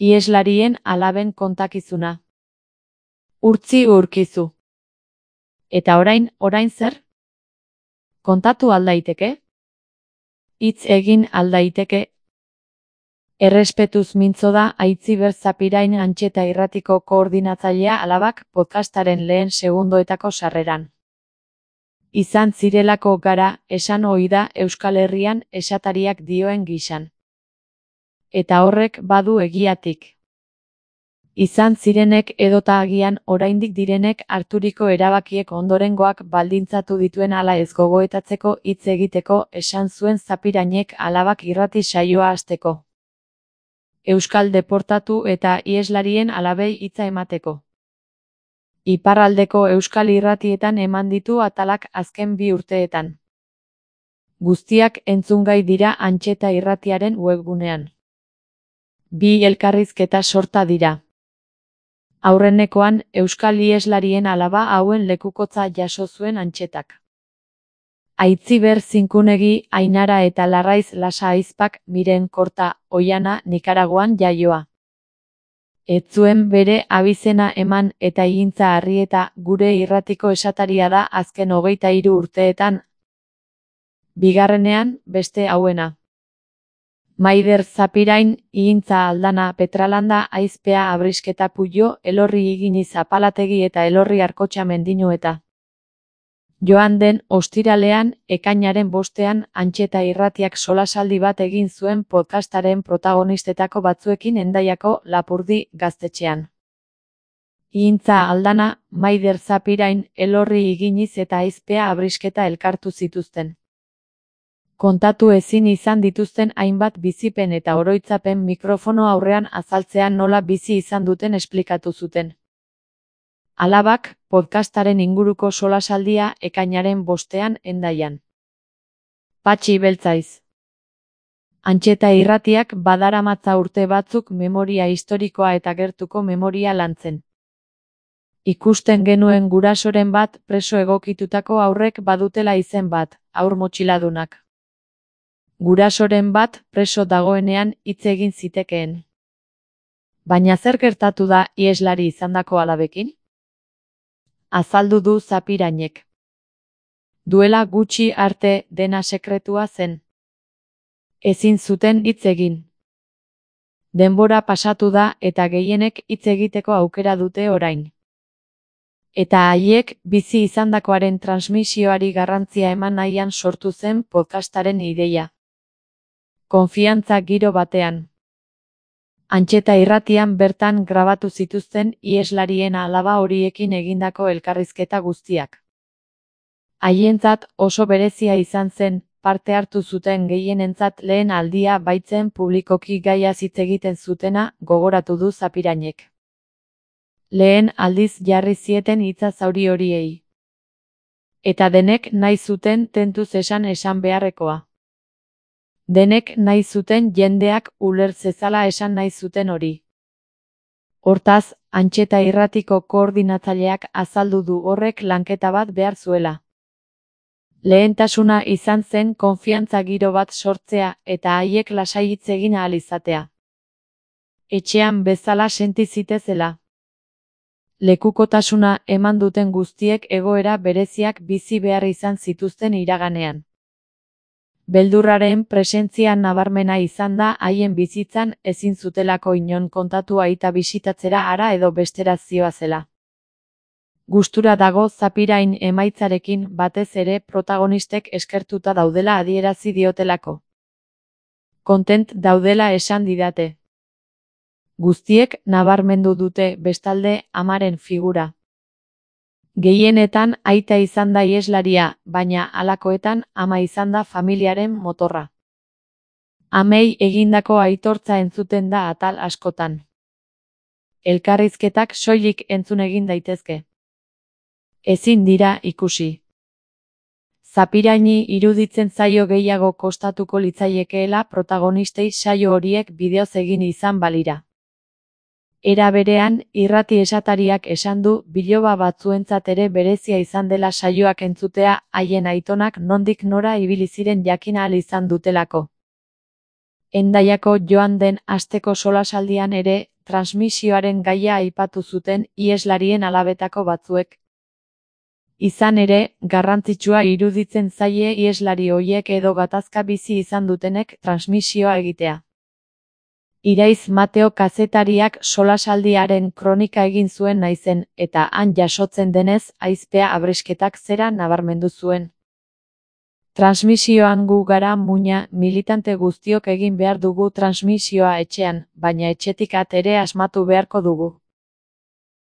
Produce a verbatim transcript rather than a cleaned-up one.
Iheslarien alaben kontakizuna. Urtzi urkizu. Eta orain, orain zer? Kontatu aldaiteke? Hitz egin aldaiteke? Errespetuz mintzo da Aitziber Zapirain Antxeta Irratiko koordinatzailea alabak podcastaren lehen segundoetako sarreran. Izan zirelako gara, esan ohi da Euskal Herrian esatariak dioen gisan. Eta horrek badu egiatik. Izan zirenek edota agian oraindik direnek harturiko erabakiek ondorengoak baldintzatu dituen ala ez gogoetatzeko hitz egiteko esan zuen Zapirainek alabak irrati saioa hasteko. Euskal deportatu eta iheslarien alabei hitza emateko. Iparraldeko euskal irratietan eman ditu atalak azken bi urteetan. Guztiak entzungai dira Antxeta Irratiaren webgunean. Bi elkarrizketa sorta dira. Aurrenekoan, euskal iheslarien alaba hauen lekukotza jaso zuen Antxetak. Aitziber Zinkunegi, Ainara eta Larraiz Lasa Aizpak, Miren Korta, Oiana, Nikaraguan jaioa. Ez zuen bere abizena eman eta Igintza Arrieta gure irratiko esataria da azken hogeita hiru urteetan. Bigarrenean, beste hauena. Maider Zapirain, Igintza Aldana Petralanda Aizpea Abrisketa Puyo, Elorri Iginiz Apalategi eta Elorri Arkotxa Mendinueta. Joan den ostiralean, ekainaren bostean, Antxeta Irratiak solasaldi bat egin zuen podcastaren protagonistetako batzuekin Hendaiako Lapurdi gaztetxean. Igintza Aldana, Maider Zapirain, Elorri Iginiz eta Aizpea Abrisketa elkartu zituzten. Kontatu ezin izan dituzten hainbat bizipen eta oroitzapen mikrofono aurrean azaltzean nola bizi izan duten esplikatu zuten. Alabak, podcastaren inguruko solasaldia ekainaren bostean Hendaian. Patxi Beltzaiz. Antxeta Irratiak badaramatza urte batzuk memoria historikoa eta gertuko memoria lantzen. Ikusten genuen gurasoren bat preso egokitutako haurrek badutela izen bat, haur motxiladunak. Gurasoren bat preso dagoenean hitz egin zitekeen. Baina zer gertatu da iheslari izandako alabekin? Azaldu du Zapirainek. Duela gutxi arte dena sekretua zen. Ezin zuten hitz egin. Denbora pasatu da eta gehienek hitz egiteko aukera dute orain. Eta haiek bizi izandakoaren transmisioari garrantzia eman nahian sortu zen podcastaren ideia. Konfiantza giro batean. Antxeta Irratian bertan grabatu zituzten iheslarien alaba horiekin egindako elkarrizketa guztiak. Haientzat oso berezia izan zen, parte hartu zuten gehienentzat lehen aldia baitzen publikoki gaia hitz egiten zutena, gogoratu du Zapirainek. Lehen aldiz jarri zieten hitza zauri horiei. Eta denek nahi zuten tentuz esan esan beharrekoa. Denek nahi zuten jendeak uler zezala esan nahi zuten hori. Hortaz, Antxeta Irratiko koordinatzaileak azaldu du horrek lanketa bat behar zuela. Lehentasuna izan zen konfiantza giro bat sortzea eta haiek lasai hitz egin ahal izatea. Etxean bezala senti zitezela. Lekukotasuna eman duten guztiek egoera bereziak bizi behar izan zituzten iraganean. Beldurraren presentzia nabarmena izan da haien bizitzan ezin zutelako inon kontatu aita bisitatzera hara edo bestera zioazela. Gustura dago Zapirain emaitzarekin batez ere protagonistek eskertuta daudela adierazi diotelako. Kontent daudela esan didate. Guztiek nabarmendu dute bestalde amaren figura. Gehienetan aita izan da iheslaria, baina halakoetan ama izan da familiaren motorra. Amei egindako aitortza entzuten da atal askotan. Elkarrizketak soilik entzun egin daitezke. Ezin dira ikusi. Zapiraini iruditzen zaio gehiago kostatuko litzaiekeela protagonistei saio horiek bideoz egin izan balira. Era berean, irrati esatariak esan du biloba batzuentzat ere berezia izan dela saioak entzutea, haien aitonak nondik nora ibili ziren jakin ahal izan dutelako. Hendaiako joan den asteko solasaldian ere, transmisioaren gaia aipatu zuten iheslarien alabetako batzuek. Izan ere, garrantzitsua iruditzen zaie iheslari hoiek edo gatazka bizi izan dutenek transmisioa egitea. Iraiz Mateo kazetariak solasaldiaren kronika egin zuen naizen, eta han jasotzen denez, ahizpea abresketak zera nabarmendu zuen. Transmisioan gu gara muina, militante guztiok egin behar dugu transmisioa etxean, baina etxetik at ere asmatu beharko dugu.